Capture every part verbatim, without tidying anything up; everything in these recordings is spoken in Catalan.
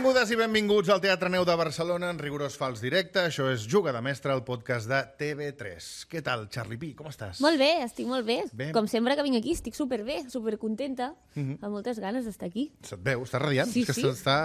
Benvingudes i benvinguts al Teatre Neu de Barcelona en rigorós fals directe. Això és Juga de Mestre, el podcast de T V tres. Què tal, Charlie Pi? Com estàs? Molt bé, estic molt bé. bé. Com sempre que vinc aquí, estic superbé, supercontenta, mm-hmm. amb moltes ganes d'estar aquí. Se't veu, estàs radiant. Sí, és que sí. Està...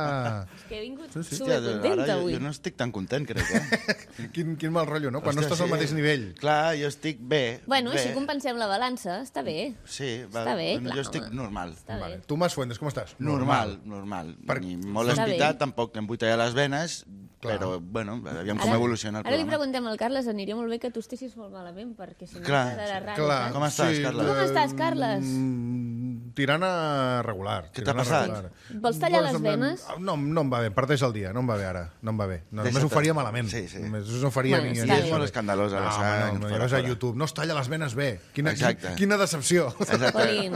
És que he vingut Sí, sí. supercontenta Ara jo, avui. jo no estic tan content, crec, eh? quin, quin mal rotllo, no? Quan Hòstia, no estàs al sí. mateix nivell. Clar, jo estic bé. Bueno, bé. així compensem la balança, està bé. Sí, va, Està bé, bueno, clar, jo estic home. normal. Està Vale. bé. Tu, Mas Fuentes, com estàs? Normal, normal. Per- Ni molt Està espitat, bé. tampoc em vull tallar les venes, Clar. però, bueno, aviam com evoluciona el Ara li programa. preguntem al Carles, aniria molt bé que tu estiguessis molt malament, perquè si no Clar, quedarà raro. Clar. saps? Com estàs, Carles? Com estàs, Carles? Mm, tirant a regular. Què tirant t'ha a passat? regular. Vols tallar Doncs les em- venes? No, no em va bé, parteix el dia, no em va bé ara, no em va bé. No, només Deixa't. ho faria malament. Sí, sí. Només ho faria Bueno, a mi. està això. bé. És molt escandalós, a la No, sang, no, no, fora, ja ves a fora. YouTube, no es talla les venes bé. Quina, Exacte. quina decepció. Exacte. Colin.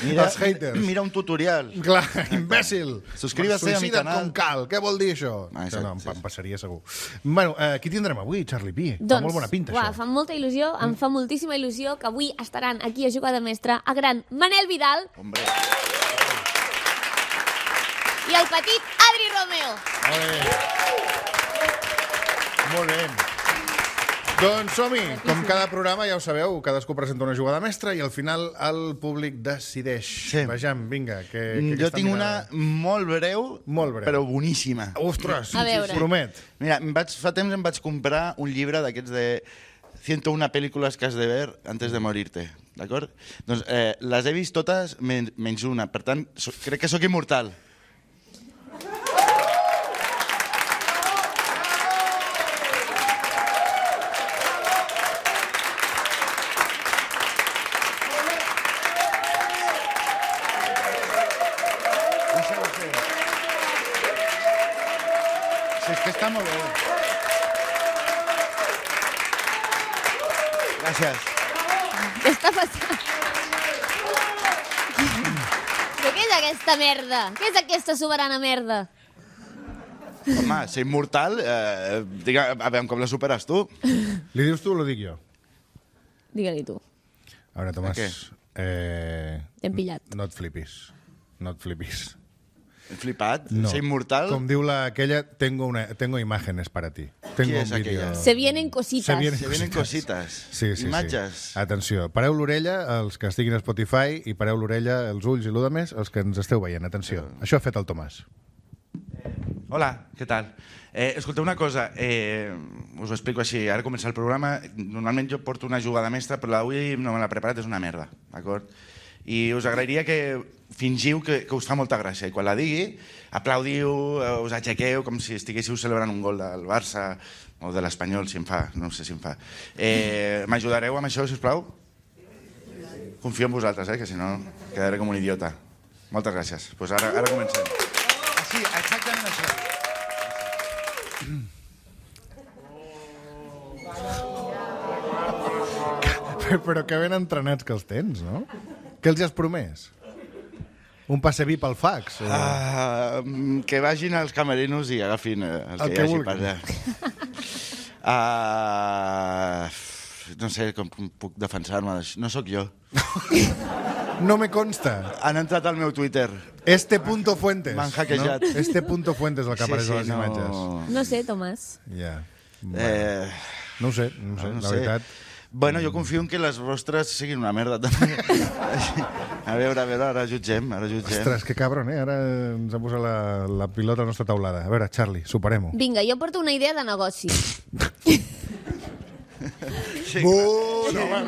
Mira, Els haters. mira un tutorial. Clar, imbècil. Suscríbase a mi Suïcida't canal. com cal. Què vol dir això? Ah, Això no, em, exacte, pa- sí. em passaria segur. Bueno, eh, qui tindrem avui, Charlie Pi? Fa Doncs, molt bona pinta, uà, això. fa molta il·lusió, em fa moltíssima il·lusió que avui estaran aquí a Jugar de Mestre el gran Manel Vidal Hombre, i el petit Adri Romeo. Molt bé. Molt bé. Doncs som-hi. Com cada programa, ja ho sabeu, cadascú presenta una jugada mestra i al final el públic decideix. Sí. Vejam, vinga. Que, que jo aquesta tinc una mirada- molt breu, Molt breu. però boníssima. Ostres, A veure. promet. Mira, em vaig, fa temps em vaig comprar un llibre d'aquests de ciento una pel·lícules que has de ver antes de morirte, d'acord? Doncs eh, les he vist totes men menys una, per tant, so, crec que sóc immortal. Deixa-ho ser. Sí, és que està molt bé. Gràcies. Què està passant? Però què és aquesta merda? Què és aquesta soberana merda? Home, ser immortal, eh, diga, a veure com la superes tu. Li dius tu o lo dic jo? Digue-li tu. A veure, Tomàs, què? eh, T'hem pillat. no et flipis. No et flipis. He flipat. No. Ser immortal. Com diu la, aquella, tengo, una, tengo imágenes para ti. Tengo Qui és un vídeo. aquella? Se vienen cositas. Se vienen- Se vienen cosites. Sí, sí, Imatges. sí. Atenció, pareu l'orella, els que estiguin a Spotify, i pareu l'orella, els ulls i l'u de més, els que ens esteu veient. Atenció, això ha fet el Tomàs. Hola, què tal? Eh, escolteu una cosa, eh, us ho explico així. Ara comença el programa. Normalment jo porto una jugada mestra, però avui no me l'he preparat, és una merda, d'acord? I us agrairia que fingiu que, que us fa molta gràcia. I quan la digui, aplaudiu, eh, us aixequeu com si estiguéssiu celebrant un gol del Barça o de l'Espanyol, si em fa, no sé si em fa. Eh, M'ajudareu amb això, sisplau? Confio en vosaltres, eh, que si no quedaré com un idiota. Moltes gràcies. Pues ara, ara comencem. Sí, exactament això. Però que ben entrenats que els tens, no? Què els has promès? Un passe VIP al fax? O... Uh, que vagin als camerinos i agafin eh, el, El que, que hi hagi vulguin. per allà. Uh, no sé com puc defensar-me d'això. No sóc jo. No me consta. Han entrat al meu Twitter. Este punto fuentes. M'han hackejat. No? Este punto fuentes el que apareix a les no... imatges. No sé, Tomàs. Ja. Eh, No ho sé, no ho sé, no la sé. veritat. Bueno, jo confio en que les vostres siguin una merda, també. A veure, a veure, ara jutgem, ara jutgem. Ostres, que cabron, eh? Ara ens ha posat la, la pilota a la nostra taulada. A veure, Charlie, superem-ho. Vinga, jo porto una idea de negoci. Sí, Uh, no, va,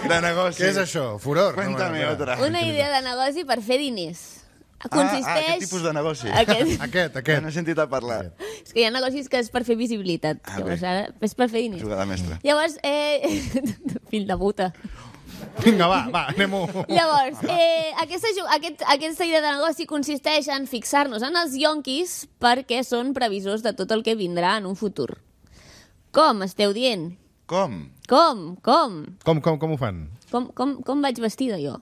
de negoci. què és això? Furor? Cuéntame no, otra. Una idea de negoci per fer diners. Ah, Consisteix... ah, aquest tipus de negoci. Aquest... Aquest, Ja aquest. n'he sentit a parlar. És que hi ha negocis que és per fer visibilitat. Ah, Llavors, bé. ara és per fer diners. Jugada mestra. Llavors, eh... fill de puta. Vinga, va, va, anem-ho. Llavors, eh, aquesta, ju- aquest, aquesta idea de negoci consisteix en fixar-nos en els yonquis perquè són previsors de tot el que vindrà en un futur. Com esteu dient? Com? Com? Com? Com, com, com ho fan? Com, com, com vaig vestida jo?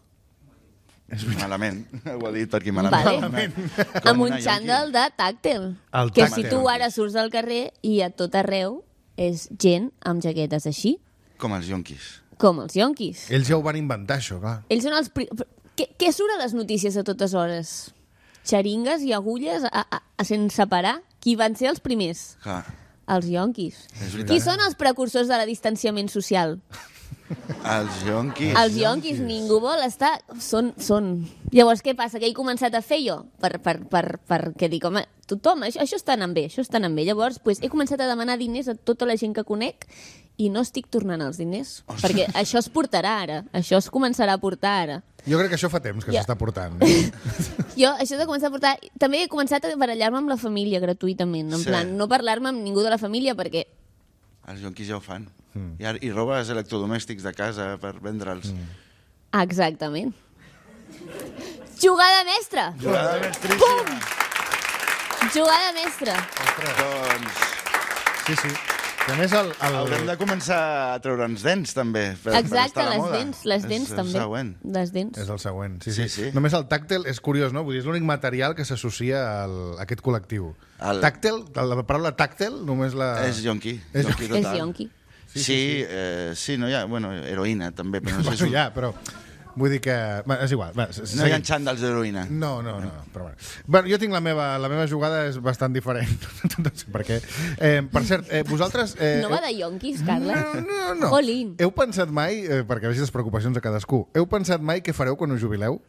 Malament. Ho ha dit per aquí malament. Vale. Com Amb un una xandall de tàctil. El Que tàctil. si tu ara surts al carrer i a tot arreu és gent amb jaquetes així, Com els yonquis. com els yonquis. Ells ja ho van inventar, això, clar. Ells són els... Pri... Què, què surt a les notícies a totes hores? xeringues i agulles a, a, a sense parar. Qui van ser els primers? Clar. Els ionquis. És veritat. Qui són els precursors de la distanciament social? Els ionquis. Els ionquis, ningú vol estar... Són, són... Llavors, què passa? Que he començat a fer jo? Per, per, per, per què dic, home, tothom, això, això està anant bé, això està anant bé. Llavors, pues, he començat a demanar diners a tota la gent que conec i no estic tornant els diners. Ostres. Perquè això es portarà ara. Això es començarà a portar ara. Jo crec que això fa temps que Ja. s'està portant. Jo, això de començar a portar... També he començat a barallar-me amb la família gratuïtament. En Sí. plan, no parlar-me amb ningú de la família perquè... Els ionquis ja ho fan. Mm. I, ara- I robes electrodomèstics de casa per vendre'ls. Mm. Exactament. Jugada mestra! Jugada mestríssima. Jugada mestra. Doncs Sí, sí. I a més, el... el... haurem de començar a treure'ns dents, també. Per, per Exacte, estar a la les moda. dents, les dents és, també. És següent. Les dents. És el següent, sí, Sí, sí. sí. Només el tàctil és curiós, no? Vull dir, és l'únic material que s'associa al- a aquest col·lectiu. El- Tàctil, la paraula tàctil, només la... És yonqui. És yonqui És total. yonqui. Sí, sí, eh, sí, no hi ha... Bueno, heroïna, també, però no sé Bueno, si... ja, però... Vull dir que... Va, és igual. Va, s- No hi ha seguim. xandals d'heroïna. No, no, no, però bueno. bueno. Jo tinc la meva, la meva jugada és bastant diferent. No sé per què. Eh, per cert, eh, vosaltres... Eh, No va de yonquis, Carla? No, no, no. Jolín. Heu pensat mai, eh, perquè vegis les preocupacions de cadascú, heu pensat mai què fareu quan us jubileu?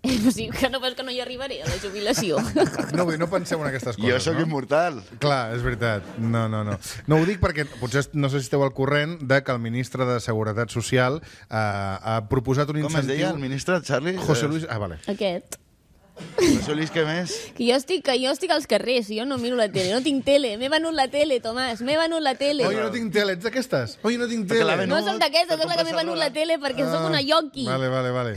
O sigui, que no veus que no hi arribaré a la jubilació. No, vull dir, no penseu en aquestes coses, Jo sóc no? immortal. Clar, és veritat. No, no, no. No ho dic perquè potser no sé si esteu al corrent de que el ministre de Seguretat Social eh, ha proposat un Com es incentiu... deia el ministre, Charlie? José Luis... Ah, vale. Aquest. José Luis, què més? Que jo estic, que jo estic als carrers, jo no miro la tele, no tinc tele. M'he venut la tele, Tomàs, m'he venut la tele. Oi, no tinc tele, ets d'aquestes? Oi, no tinc Perquè tele. la venut. No soc d'aquestes, Per soc la que m'he compensar-la. venut la tele perquè Ah, sóc una yonqui. Vale, vale, vale.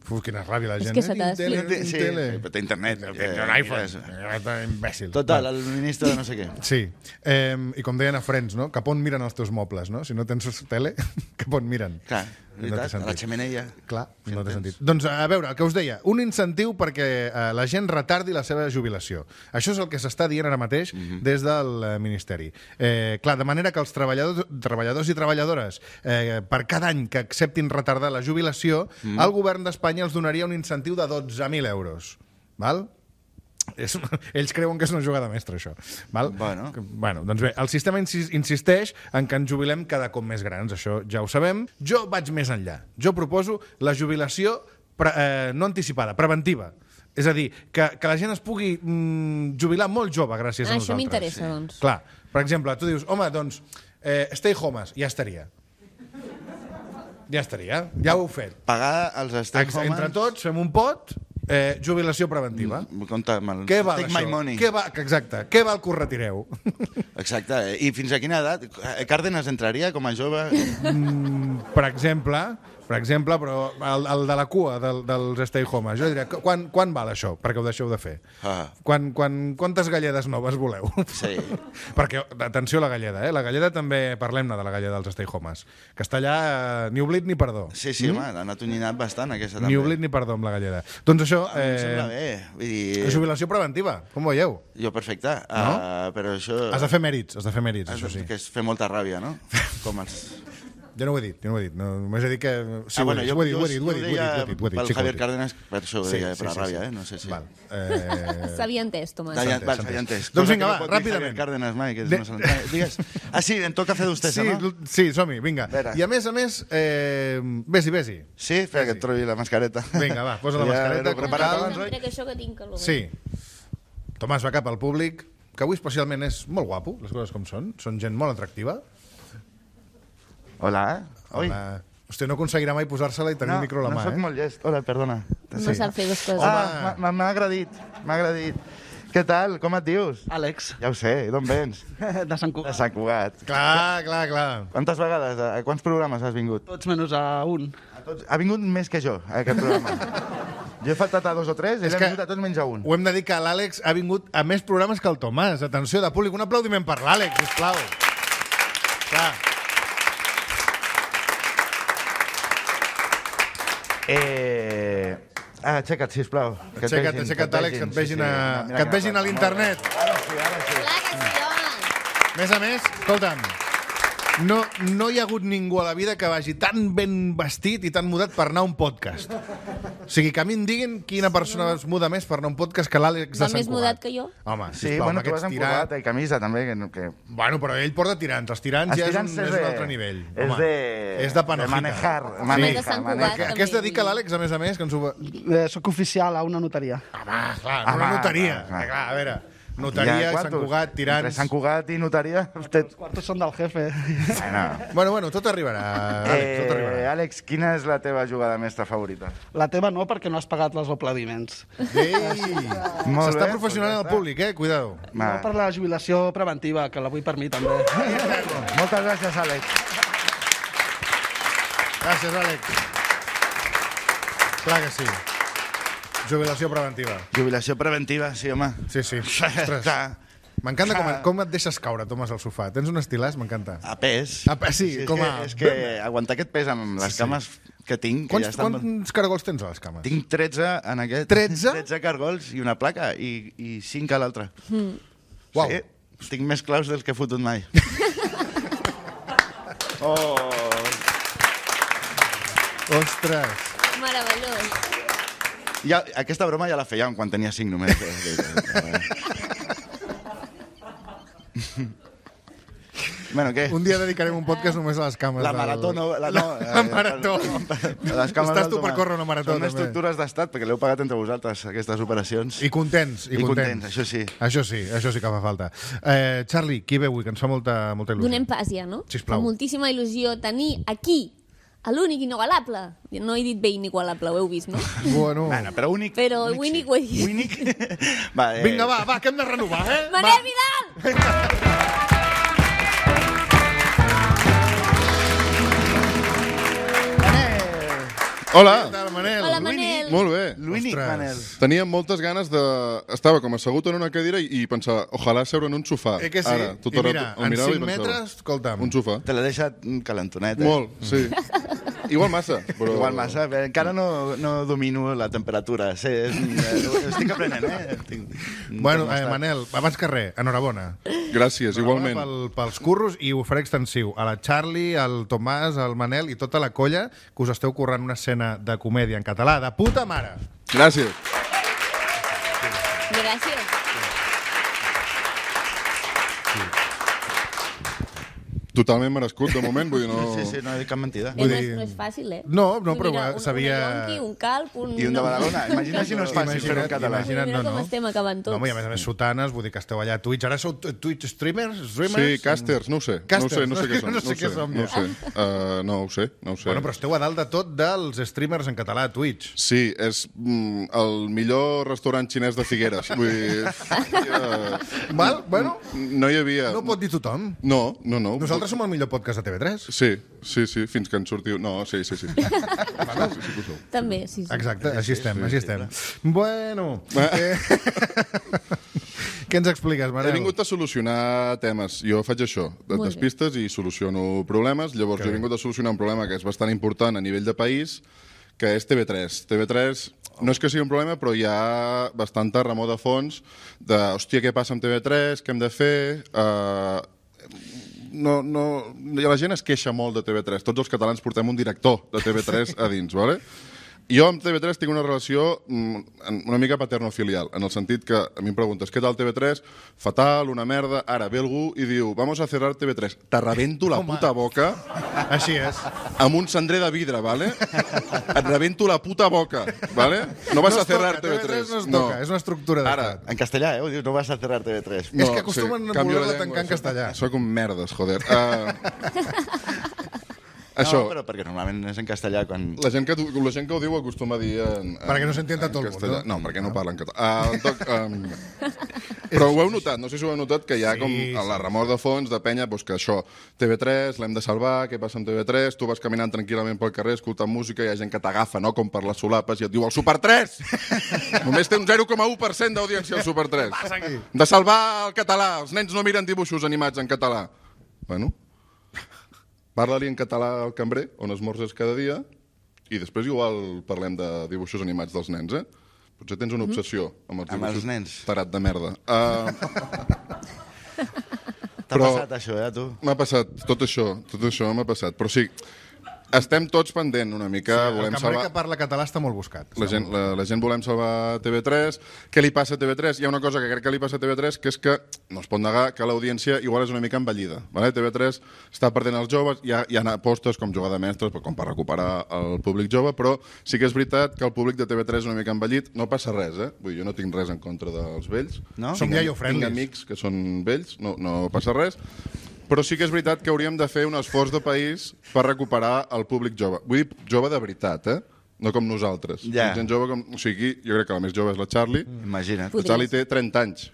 Uf, quina ràbia la És gent. que no se t'ha tinc tele, no tinc Sí, tele. però té internet. Té eh, un iPhone. mira, Eh, Imbècil. Total, Va. el ministre de no sé què. Sí, eh, i com deien a Friends, no? Cap on miren els teus mobles, no? Si no tens tele, cap on miren? Clar, No té veritat, a la sentit. xemeneia. Clar, Fent no té temps. sentit. Doncs a veure, el que us deia, un incentiu perquè eh, la gent retardi la seva jubilació. Això és el que s'està dient ara mateix des del eh, Ministeri. Eh, clar, de manera que els treballadors, treballadors i treballadores, eh, per cada any que acceptin retardar la jubilació, el govern d'Espanya els donaria un incentiu de dotze mil euros. Val? És, ells creuen que és una jugada mestra, això. Val? Bueno. Que- bueno, doncs bé, el sistema insis- insisteix en que ens jubilem cada cop més grans, això ja ho sabem. Jo vaig més enllà. Jo proposo la jubilació pre, eh, no anticipada, preventiva. És a dir, que, que la gent es pugui mm, jubilar molt jove gràcies a Ah, nosaltres. això m'interessa, doncs. Clar, per exemple, tu dius, home, doncs, eh, stay homes, ja estaria. Ja estaria, ja ho heu fet. Pagar els stay Ex- homes... Entre tots fem un pot, eh, jubilació preventiva. Mm, Compte amb el... Què val Take això? my money. Què va, exacte, què val que us retireu? Exacte. eh? I fins a quina edat? Eh, Cárdenas entraria com a jove? Per exemple, per exemple, però el, el de la cua del, dels stay homes, jo diria, quan, quan val això perquè ho deixeu de fer? Ah. Quan, quan, quantes galledes noves voleu? Sí. Perquè, atenció a la galleda, eh? La galleda també, parlem-ne de la galleda dels stay homes, que està allà eh, ni oblit ni perdó. Sí, sí, home, han atonyinat bastant, aquesta també. Ni oblit ni perdó amb la galleda. Doncs això... A mi em sembla Eh, bé. Vull dir, jubilació preventiva, com ho veieu? jo perfecte, No? uh, però això... Has de fer mèrits, has de fer mèrits, has això de- sí. Que és fer molta ràbia, no? Com els... Jo no ho he dit, jo no ho he dit. No, només he dit que... Sí, ah, bueno, ho he dit, ho he dit, ho he dit, ho he dit, deia ho he dit, ho he dit, pel sí que ho he Javier dit. Cárdenas, per això ho deia, per la ràbia, eh? No sé si... Val. Eh... S'havia entès, Tomàs. S'havia- entès, val, s'ha s'havia entès. entès. Doncs Cosa vinga, que va, no pot dir ràpidament. Javier Cárdenas mai, que De- no se l'entén. Digues. Ah, sí, em toca fer d'ustesa, Sí, no? l- sí, som-hi, vinga. Vera. I a més a més, eh... vés-hi, vés-hi. Sí, espera que et trobi la mascareta. Vinga, va, posa la Ja mascareta, l'he com preparat cal. abans, oi? Mira que això que tinc calor. Sí. Tomàs va cap al públic, que avui especialment és molt guapo, les coses com són. Són gent molt atractiva. Hola. Oi. Hola. Hòstia, no aconseguirà mai posar-se-la i tenir no, el micro a la no mà, soc eh? molt llest. Hola, perdona. No sap fer dues coses. Ah, m'ha- m'ha agradit, m'ha agradit. Què tal? Com et dius? Àlex, Ja ho sé, d'on vens? de Sant De Cugat. Sant Cugat. Clar, clar, clar. Quantes vegades, a quants programes has vingut? Tots menys a un. A tots, ha vingut més que jo, a aquest programa. Jo he faltat a dos o tres, ell És ha que- vingut a tots menys a un. Ho hem de dir que l'Àlex ha vingut a més programes que el Tomàs. Atenció, de públic. Un aplaudiment per l'Àlex, sisplau. Clar. Eh... Ah, aixeca't, sisplau. Que et Aixeca't, vegin, aixeca't, Àlex, que et vegin, a... Mira, que et vegin a molt bé. l'internet. Ara sí, ara sí. Clar que sí, home. A més a més, escolta'm, No, no hi ha hagut ningú a la vida que vagi tan ben vestit i tan mudat per anar a un podcast. O sigui, que a mi em diguin quina persona es muda més per anar a un podcast que l'Àlex de Va Sant més Cugat. mudat que jo? Home, Sí, sisplau, bueno, amb tu vas aquests amb tirants... corbata i camisa, també. Que, que... Bueno, però ell porta tirants. Els tirants ja és un, és un altre nivell. És Home, de... és de panojita. De manejar. de maneja, Sant Cugat, maneja. A què es dedica l'Àlex, a més a més? Que ens ho... Eh, soc oficial a una notaria. Home, clar, Home, una notaria. clar, clar. Clar, a veure, notaria, Ja, Sant Cugat, Entre tirants... Sant Cugat i notaria... Usted... Els quartos són del jefe. Bueno. Bueno, bueno, tot arribarà, Àlex, tot Eh, arribarà. Àlex, quina és la teva jugada mestra favorita? La teva no, perquè no has pagat els aplaudiments. Ei! Molt S'està bé, professionant doncs ja el públic, eh? Cuidado. No per la jubilació preventiva, que la vull per mi també. Moltes gràcies, Àlex. Gràcies, Àlex. Clar que sí. Jubilació preventiva. Jubilació preventiva, sí, home. Sí, sí. Ostres. Clar. M'encanta com, com et deixes caure, Tomàs, al sofà. Tens un estilàs, m'encanta. A pes. A pes, sí, és com que, a- És que aguantar aquest pes amb les Sí, sí. cames que tinc... Que Quants, ja estan... quants caragols tens a les cames? Tinc tretze en aquest... tretze? tretze cargols i una placa i, i cinc a l'altra. Mm. Uau. Sí, tinc més claus dels que he fotut mai. Oh. Ostres. Meravellós. Ja, aquesta broma ja la fèiem quan tenia cinc només. Bueno, què? Un dia dedicarem un podcast només a les cames. La del- marató no... La, no, la marató. Les cames Estàs del tu per Tomàs. córrer una marató, Són també. estructures d'estat, perquè l'heu pagat entre vosaltres, aquestes operacions. I contents, i, I contents, això sí. Això sí, això sí que fa falta. Eh, Charlie, qui ve avui, que ens fa molta, molta il·lusió? Donem pas ja, no? Sisplau. Fa moltíssima il·lusió tenir aquí a l'únic inigualable. No he dit bé inigualable, ho heu vist, no? Bueno. Bueno, però únic... Però únic únic sí. ho he dit. Únic... Va, eh... Vinga, va, va, que hem de renovar, eh? Manel Va. Vidal! Hola! Què tal, Manel? Hola, Manel. Molt bé. L'únic, Ostres. Manel. Tenia moltes ganes de... Estava com assegut en una cadira i, i pensava, ojalà seure en un sofà. Eh que sí? Ara, tot I el mira, rato el en mirava i cinc pensava, metres, escolta'm. un sofà. Te l'he deixat calentonet, eh? Molt, sí. Igual massa, però... Igual massa, bé, encara no, no domino la temperatura. Sí, és, eh, estic aprenent, eh? Estic, Bueno, eh, termòstat. Manel, abans que res, enhorabona. Gràcies, igualment. Pel, pels curros, i ho faré extensiu a la Charlie, al Tomàs, al Manel i tota la colla que us esteu currant una escena de comèdia en català de puta mare. Gràcies. Gràcies. Totalment merescut, de moment, vull dir, no... Sí, sí, no he dit cap mentida. Eh, Vull no, és, dir- no és fàcil, eh? No, no, Vull però dir, va, un, sabia- Un yonqui, un calp, un... I un de Badalona. Imagina si no és fàcil fer-ho en català. Imagina't, Mira no, com no. estem acabant tots. No, home, i a més a més, sotanes, vull dir que esteu allà a Twitch. Ara sou t- Twitch streamers? streamers? Sí, casters, no ho sé. Casters, no ho sé, no sé què són. no sé què som, no ho ja. sé. Uh, no ho sé, no ho sé. Bueno, però esteu a dalt de tot dels streamers en català a Twitch. Sí, és mm, el millor restaurant xinès de Figueres. Vull dir... Uh, Val? Bueno, no hi havia... no ho pot dir tothom. No, no, no. Nosaltres som el millor podcast de T V tres. Sí, sí, sí, fins que en sortiu... No, sí, sí, sí. sí, sí, sí que ho sou. També, sí, sí. Exacte, així estem, així estem. Bueno, eh... què ens expliques, He Manel? vingut a solucionar temes. Jo faig això, de Molt bé. despistes i soluciono problemes. Llavors, Que jo he bé. vingut a solucionar un problema que és bastant important a nivell de país, que és T V tres. T V tres no és que sigui un problema, però hi ha bastanta remor de fons de, hòstia, què passa amb T V tres, què hem de fer... Uh, no, no, la gent es queixa molt de T V tres. Tots els catalans portem un director de T V tres a dins, ¿vale? Jo amb T V tres tinc una relació mm, una mica paterno-filial, en el sentit que a mi em preguntes, què tal T V tres? Fatal, una merda. Ara ve algú i diu, vamos a cerrar T V tres. Te rebento la Home. puta boca Així és. amb un cendrer de vidre, ¿vale? Et rebento la puta boca, ¿vale? No vas No a es cerrar toca, T V tres. no es toca, és una estructura Ara, d'estat. En castellà, eh? Ho dius, no vas a cerrar T V tres. És que acostumen a canvio voler-la de tancar en llengua, castellà. Soc un merdes, joder. Uh, això, No, però perquè normalment és en castellà quan... la gent, que, la gent que ho diu acostuma a dir en, en, Perquè no s'entienda en tot el castellà. món, no? No, perquè no parlen català. Uh, en tot, um, però ho heu notat, no sé si ho heu notat, que hi ha Sí, com sí. a la remor de fons de penya, doncs que això, T V tres, l'hem de salvar, què passa amb T V tres, tu vas caminant tranquil·lament pel carrer, escoltant música, hi ha gent que t'agafa, no?, com per les solapes, i et diu, el Super tres! Només té un zero coma u per cent d'audiència, el Super tres. passa aquí? De salvar el català, els nens no miren dibuixos animats en català. Bueno, parla-li en català al cambrer, on esmorzes cada dia, i després igual parlem de dibuixos animats dels nens, eh? Potser tens una obsessió amb els Amb dibuixos. els nens. Tarat de merda. Uh, T'ha passat això, eh, a tu? M'ha passat, tot això, tot això m'ha passat. Però sí, estem tots pendent una mica. Sí, el volem cambrer salvar... que parla català està molt buscat. La gent, la, la gent volem salvar T V tres. Què li passa a T V tres? Hi ha una cosa que crec que li passa a T V tres, que és que no es pot negar que l'audiència igual és una mica envellida. Vale? T V tres està perdent els joves, hi ha, hi ha apostes com jugar de mestres, com per recuperar el públic jove, però sí que és veritat que el públic de T V tres és una mica envellit. No passa res, eh? Vull dir, jo no tinc res en contra dels vells. No? Som Tinc, iaio-friendlies. tinc amics que són vells, no, no passa res. Però sí que és veritat que hauríem de fer un esforç de país per recuperar el públic jove. Vull dir, jove de veritat, eh? No com nosaltres. Ja. Gent jove com... O sigui, jo crec que la més jove és la Charlie. Imagina't. La Charlie té trenta anys.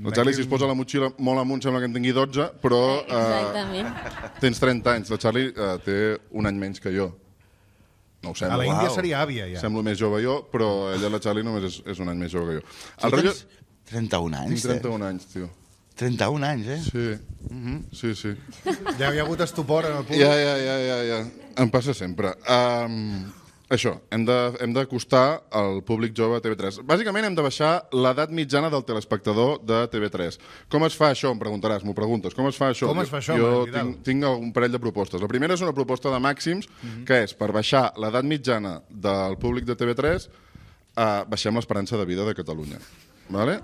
La Charlie, si es posa la motxilla molt amunt, sembla que en tingui dotze, però eh, Exactament. tens trenta anys. La Charlie eh, té un any menys que jo. No ho A sembla. la Índia Uau. seria àvia, ja. Semblo més jove jo, però ella, la Charlie, només és, és un any més jove que jo. Tu El rotllo... tens trenta-un anys, Tinc trenta-un anys, tio. trenta-un anys, eh? Sí, sí, sí. Ja hi ha hagut estupor en el públic. Ja, ja, ja, ja, ja. Em passa sempre. Um, això, hem de, hem d'acostar el públic jove a T V tres. Bàsicament hem de baixar l'edat mitjana del telespectador de T V tres. Com es fa això? Em preguntaràs, m'ho preguntes. Com es fa això? Com es fa això, Jo Marc Vidal? tinc, tinc un parell de propostes. La primera és una proposta de màxims, que és per baixar l'edat mitjana del públic de T V tres, uh, baixem l'esperança de vida de Catalunya. Vale?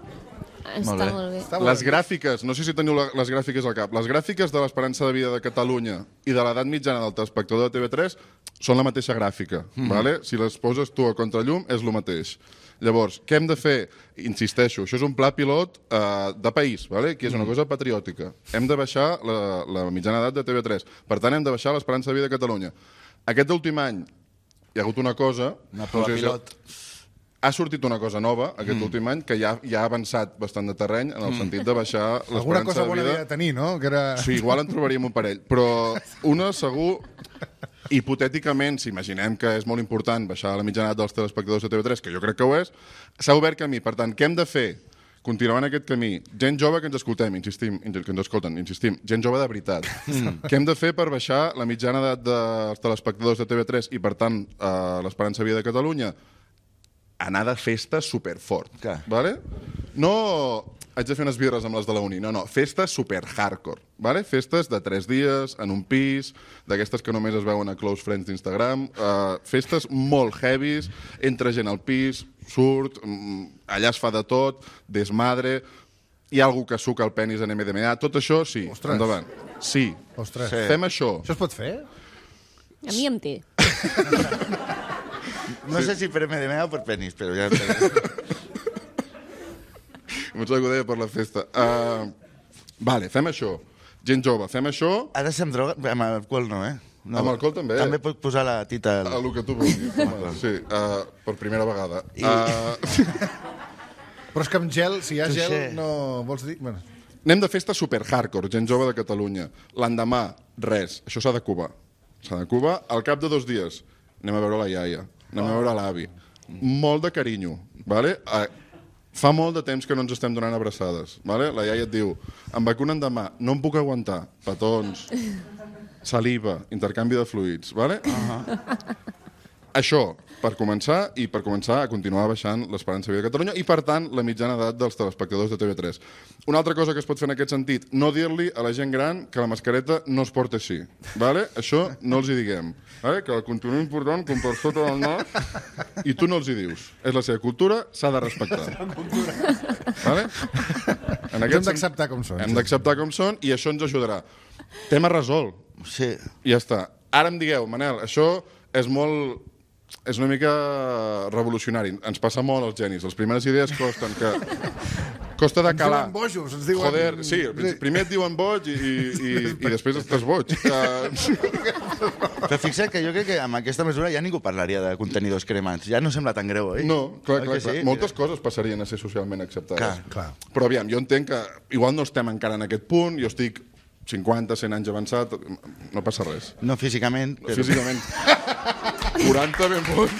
Està Molt bé. molt bé. Està Les gràfiques, no sé si teniu la, les gràfiques al cap, les gràfiques de l'esperança de vida de Catalunya i de l'edat mitjana del telespectador de T V tres són la mateixa gràfica. Mm. Vale? Si les poses tu a contrallum, és el mateix. Llavors, què hem de fer? Insisteixo, això és un pla pilot eh, de país, vale? Que és una cosa patriòtica. Hem de baixar la, la mitjana edat de T V tres. Per tant, hem de baixar l'esperança de vida de Catalunya. Aquest últim any hi ha hagut una cosa... Una prova si- pilot. Ha sortit una cosa nova aquest mm. últim any que ja, ja ha avançat bastant de terreny en el sentit de baixar Alguna l'esperança cosa de bona vida. havia de tenir, no? Que era... Sí, igual en trobaríem un parell. Però una, segur, hipotèticament, si imaginem que és molt important baixar la mitjana edat dels telespectadors de T V tres, que jo crec que ho és, s'ha obert camí. Per tant, què hem de fer? Continuar en aquest camí. Gent jove que ens escoltem, insistim, que ens escolten, insistim. Gent jove de veritat. Mm. Què hem de fer per baixar la mitjana edat dels telespectadors de T V tres i, per tant, eh, l'esperança de vida de Catalunya? Anar de festa superfort. Clar. Vale? No haig de fer unes birres amb les de la uni, no, no, festes super hardcore, vale? Festes de tres dies, en un pis, d'aquestes que només es veuen a close friends d'Instagram, uh, festes molt heavies, entra gent al pis, surt, mm, allà es fa de tot, desmadre, hi ha algú que suca el penis en M D M A, tot això, sí, Ostres. endavant. Sí, Ostres. sí. Fem això. Això es pot fer? A mi em té. No sé si per M D M A o per penis, però ja... Em sembla que ho deia per la festa. Uh, vale, fem això. Gent jove, fem això. Ara sem droga... Amb alcohol no, eh? No. Amb alcohol també. També pot posar la tita... A lo que tu vulguis. Sí, uh, per primera vegada. I- Uh, Però és que amb gel, si hi ha Touché. gel, no... Vols dir? Bueno, anem de festa super hardcore, gent jove de Catalunya. L'endemà, res. Això s'ha de cubar. S'ha de cubar. Al cap de dos dies, anem a veure la iaia. Anem a veure l'avi. Molt de carinyo. Vale? Uh, fa molt de temps que no ens estem donant abraçades. Vale? La iaia et diu, em vacunen demà, no em puc aguantar. Petons, saliva, intercanvi de fluids. Vale? Uh-huh. Això, per començar, i per començar a continuar baixant l'esperança de vida de Catalunya i, per tant, la mitjana edat dels telespectadors de T V tres. Una altra cosa que es pot fer en aquest sentit, no dir-li a la gent gran que la mascareta no es porta així. Vale? Això no els hi diguem. Vale? Que la continuïn portant com per sota del nas i tu no els hi dius. És la seva cultura, s'ha de respectar. Vale? En hem aquest d'acceptar com són. Hem d'acceptar com són i això ens ajudarà. Tema resolt. Sí. I ja està. Ara em digueu, Manel, això és molt... És una mica revolucionari. Ens passa molt als genis. Les primeres idees costen que... Costa de Ens calar. diuen bojos, ens diuen... Joder, sí, primer et diuen boig i, i, i, i després estàs boig. Uh, Però fixa't que jo crec que amb aquesta mesura ja ningú parlaria de contenidors cremats. Ja no sembla tan greu, oi? no, clar, Oi clar, que clar. sí? Moltes coses passarien a ser socialment acceptades. Clar, clar. Però aviam, jo entenc que igual no estem encara en aquest punt, jo estic cinquanta, cent anys avançat, no passa res. No físicament, però... Físicament. quaranta ben bons.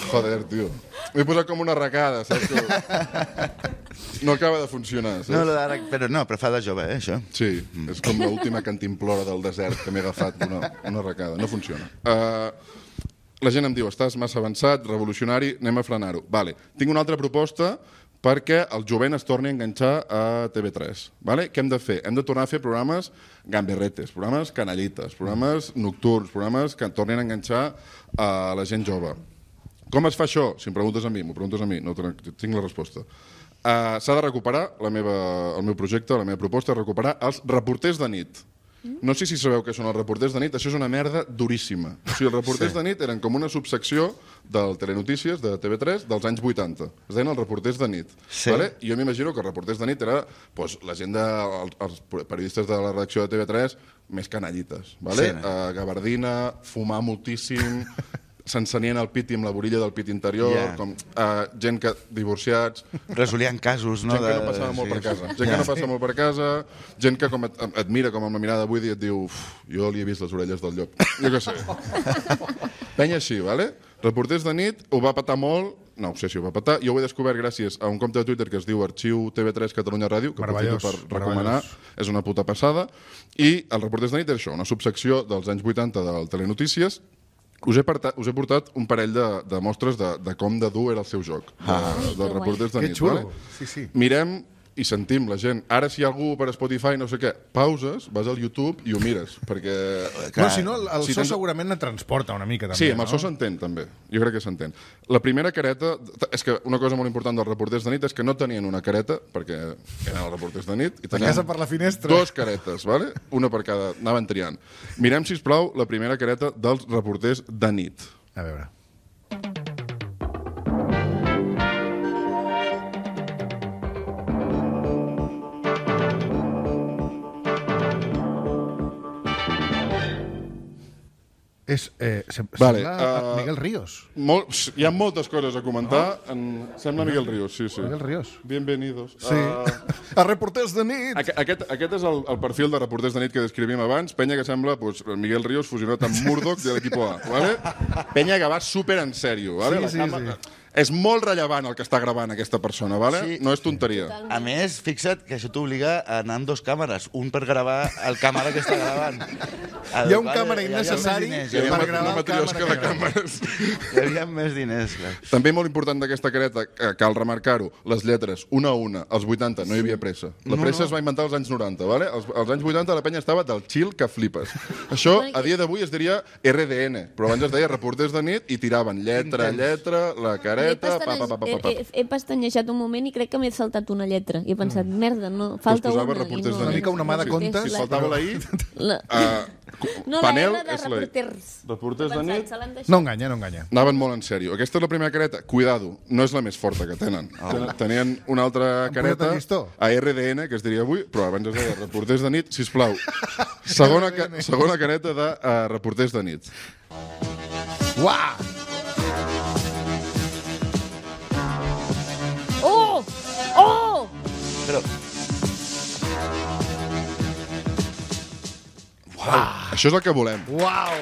Joder, tio. M'he posat com una arracada, saps? Que no acaba de funcionar, saps? No, lo d'ara... Però no, però fa de jove, eh, això. Sí, és com l'última cantimplora del desert que m'he agafat una, una arracada. No funciona. Uh, la gent em diu, estàs massa avançat, revolucionari, anem a frenar-ho. Vale. Tinc una altra proposta perquè el jovent es torni a enganxar a T V tres. Vale? Què hem de fer? Hem de tornar a fer programes gamberretes, programes canallites, programes nocturns, programes que tornin a enganxar a la gent jove. Com es fa això? Si em preguntes a mi, m'ho preguntes a mi, no tinc la resposta. Uh, S'ha de recuperar, la meva, el meu projecte, la meva proposta és recuperar els reporters de nit. No sé si sabeu què són els reporters de nit, això és una merda duríssima. O sigui, els reporters sí. de nit eren com una subsecció del Telenotícies, de T V tres, dels anys vuitanta. Es deien els reporters de nit. Sí. Vale? I jo m'imagino que els reporters de nit era pues, la gent de, els, els periodistes de la redacció de T V tres més canallites. Vale? Sí, no? uh, gabardina, fumar moltíssim... s'encenien el pit i amb la borilla del pit interior, yeah. com uh, gent que divorciats... Resolien casos, no? Gent que no passava molt per casa. Gent que no passa molt per casa, gent que com et, et mira com amb la mirada buida i et diu jo li he vist les orelles del llop. Jo què sé. Penya així, vale? Reporters de nit, ho va patar molt, no ho sé si ho va patar, jo ho he descobert gràcies a un compte de Twitter que es diu Arxiu T V tres Catalunya Ràdio, que aprofito per recomanar, és una puta passada, i els reporters de nit és això, una subsecció dels anys vuitanta del Telenotícies. Us he, partat, us he portat un parell de, de mostres de, de com de dur era el seu joc, ah. de, dels reporters de nit. Que xulo. Vale? Sí, sí. Mirem i sentim la gent. Ara, si hi ha algú per Spotify, no sé què, pauses, vas al YouTube i ho mires, perquè... Clar, no, si no, el, el si so tens... segurament et transporta una mica, també. Sí, amb el no? so s'entén, també. Jo crec que s'entén. La primera careta... És que una cosa molt important dels reporters de nit és que no tenien una careta, perquè eren els reporters de nit, i tenien casa per la finestra. Dos caretes, vale? Una per cada... Anaven triant. Mirem, sisplau, la primera careta dels reporters de nit. A veure... És, eh, sem vale, sembla uh, Miguel Ríos. Molt, hi ha moltes coses a comentar. Oh. En, sembla Miguel Ríos, sí, sí. Miguel Ríos. Bienvenidos. Sí. Uh, a reporters de nit. Aquest, aquest, aquest és el, el perfil de reporters de nit que descrivim abans. Penya que sembla pues, Miguel Ríos fusionat amb Murdoch de l'equip A. Vale? Penya que va super en sèrio. Vale? Sí, La sí, cama... sí. És molt rellevant el que està gravant aquesta persona, vale? Sí. No és tonteria. A més, fixa't que això t'obliga a anar amb dos càmeres, un per gravar el càmera que està gravant. El, hi ha un vale, càmera innecessari per gravar el càmera de càmeres. Hi havia més diners, clar. També molt important d'aquesta careta, cal remarcar-ho, les lletres, una a una, als vuitanta, no hi havia pressa. La pressa no, no. es va inventar als anys noranta, vale? Als, als anys vuitanta la penya estava del chill que flipes. Això, a dia d'avui, es diria R D N, però abans es deia reporters de nit i tiraven lletra, lletra, la careta... He, he, he, he pestanyejat un moment i crec que m'he saltat una lletra. I he pensat, mm. merda, no, falta pues una. I no... Una mica una mà de comptes. Si faltava la I... La... Uh, no, panel la R de és la I. reporters. Reporters de nit... No enganya, no enganya. Anaven molt en sèrio. Aquesta és la primera careta. Cuidado, no és la més forta que tenen. Oh. Tenien una altra careta a R D N, que es diria avui, però abans es deia reporters de nit. Sisplau, segona, ca segona careta de uh, reporters de nit. Uah! Oh! Oh! Però... Uau! Això és el que volem. Uau!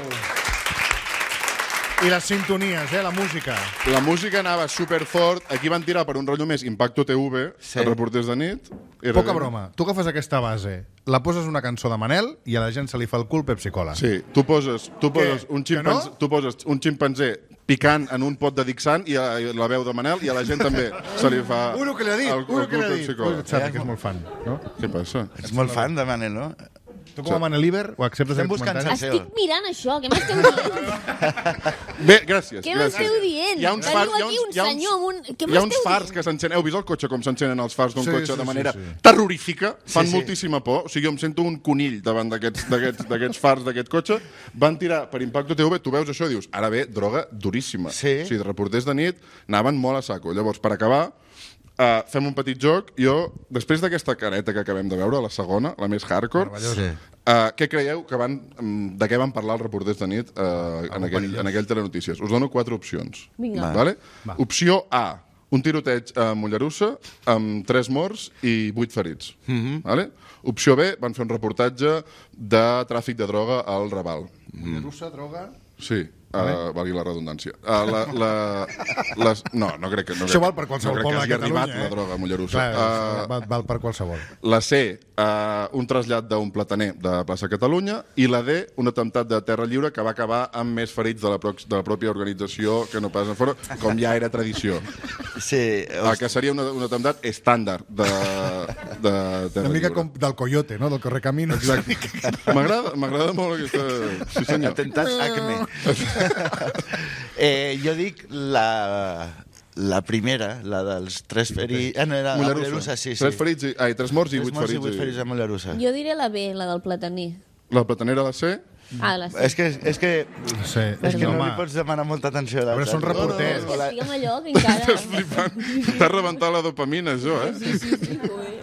I les sintonies, eh, la música. La música anava superfort. Aquí van tirar per un rotllo més Impacto T V, sí. Els reporters de nit. Poca broma. Tu agafes aquesta base, la poses una cançó de Manel i a la gent se li fa el cul Pepsi Cola. Sí, tu poses, tu poses, un, ximpanzé, no? tu poses un ximpanzé picant en un pot de Dixant i a, i la veu de Manel i a la gent també se li fa uno que li ha dit, el, el uno que li ha dit. Ui, saps que és molt fan, no? Què passa? Ets molt fan de Manel, no? Tu com a Manel Iber ho acceptes Estem buscant Estic mirant això, què m'esteu dient? Bé, gràcies. Què m'esteu dient? Hi ha uns fars, Veniu aquí un senyor amb un... Què hi ha uns m'esteu fars dient? que s'encenen. Heu vist el cotxe com s'encenen els fars d'un Sí, cotxe sí, de sí, manera sí. terrorífica? Fan Sí, sí. moltíssima por. O sigui, jo em sento un conill davant d'aquests d'aquests d'aquests fars d'aquest cotxe. Van tirar per Impacto T V, tu veus això i dius, ara ve droga duríssima. Sí. O sigui, de reporters de nit anaven molt a saco. Llavors, per acabar, Uh, fem un petit joc. Jo, després d'aquesta careta que acabem de veure, la segona, la més hardcore, Sí. uh, què creieu que van, um, de què van parlar els reporters de nit uh, en, aquell, en aquell Telenotícies? Us dono quatre opcions. Vinga. Vale? Va. Opció A, un tiroteig a Mollerussa amb tres morts i vuit ferits. Mm-hmm. Vale? Opció B, van fer un reportatge de tràfic de droga al Raval. Mm. Russa, droga... Sí. Uh, valgui la redundància. Uh, la, la, les, no, no crec que... No Això crec, val per qualsevol no crec poble que de hagi Catalunya, arribat eh? la droga a Mollerussa. Clar, Uh, val, val per qualsevol. la C, uh, un trasllat d'un plataner de plaça Catalunya, i la D, un atemptat de Terra Lliure que va acabar amb més ferits de la, prox, de la pròpia organització que no pas en fora, com ja era tradició. Sí, Uh, que seria un, un atemptat estàndard de, de Terra Una mica Lliure. com del Coyote, no? Del Correcaminos. Exacte. M'agrada m'agrada molt aquesta... Sí, senyor. Atemptat Acme. eh, jo dic la, la primera, la dels tres ferits... Ah, no, era a Mollerussa, sí, sí. Tres ferits, i, ai, tres morts i Tres vuit morts ferits. i vuit ferits a Mollerussa. Jo diré la B, la del plataner. La platanera a la C... Ah, la C. És que, és que, Sí, és que no home. li pots demanar molta atenció. A veure, són reporters. És que digue'm allò que encara... Estàs flipant. T'has rebentat la dopamina, això, eh? Sí, sí, sí, ui.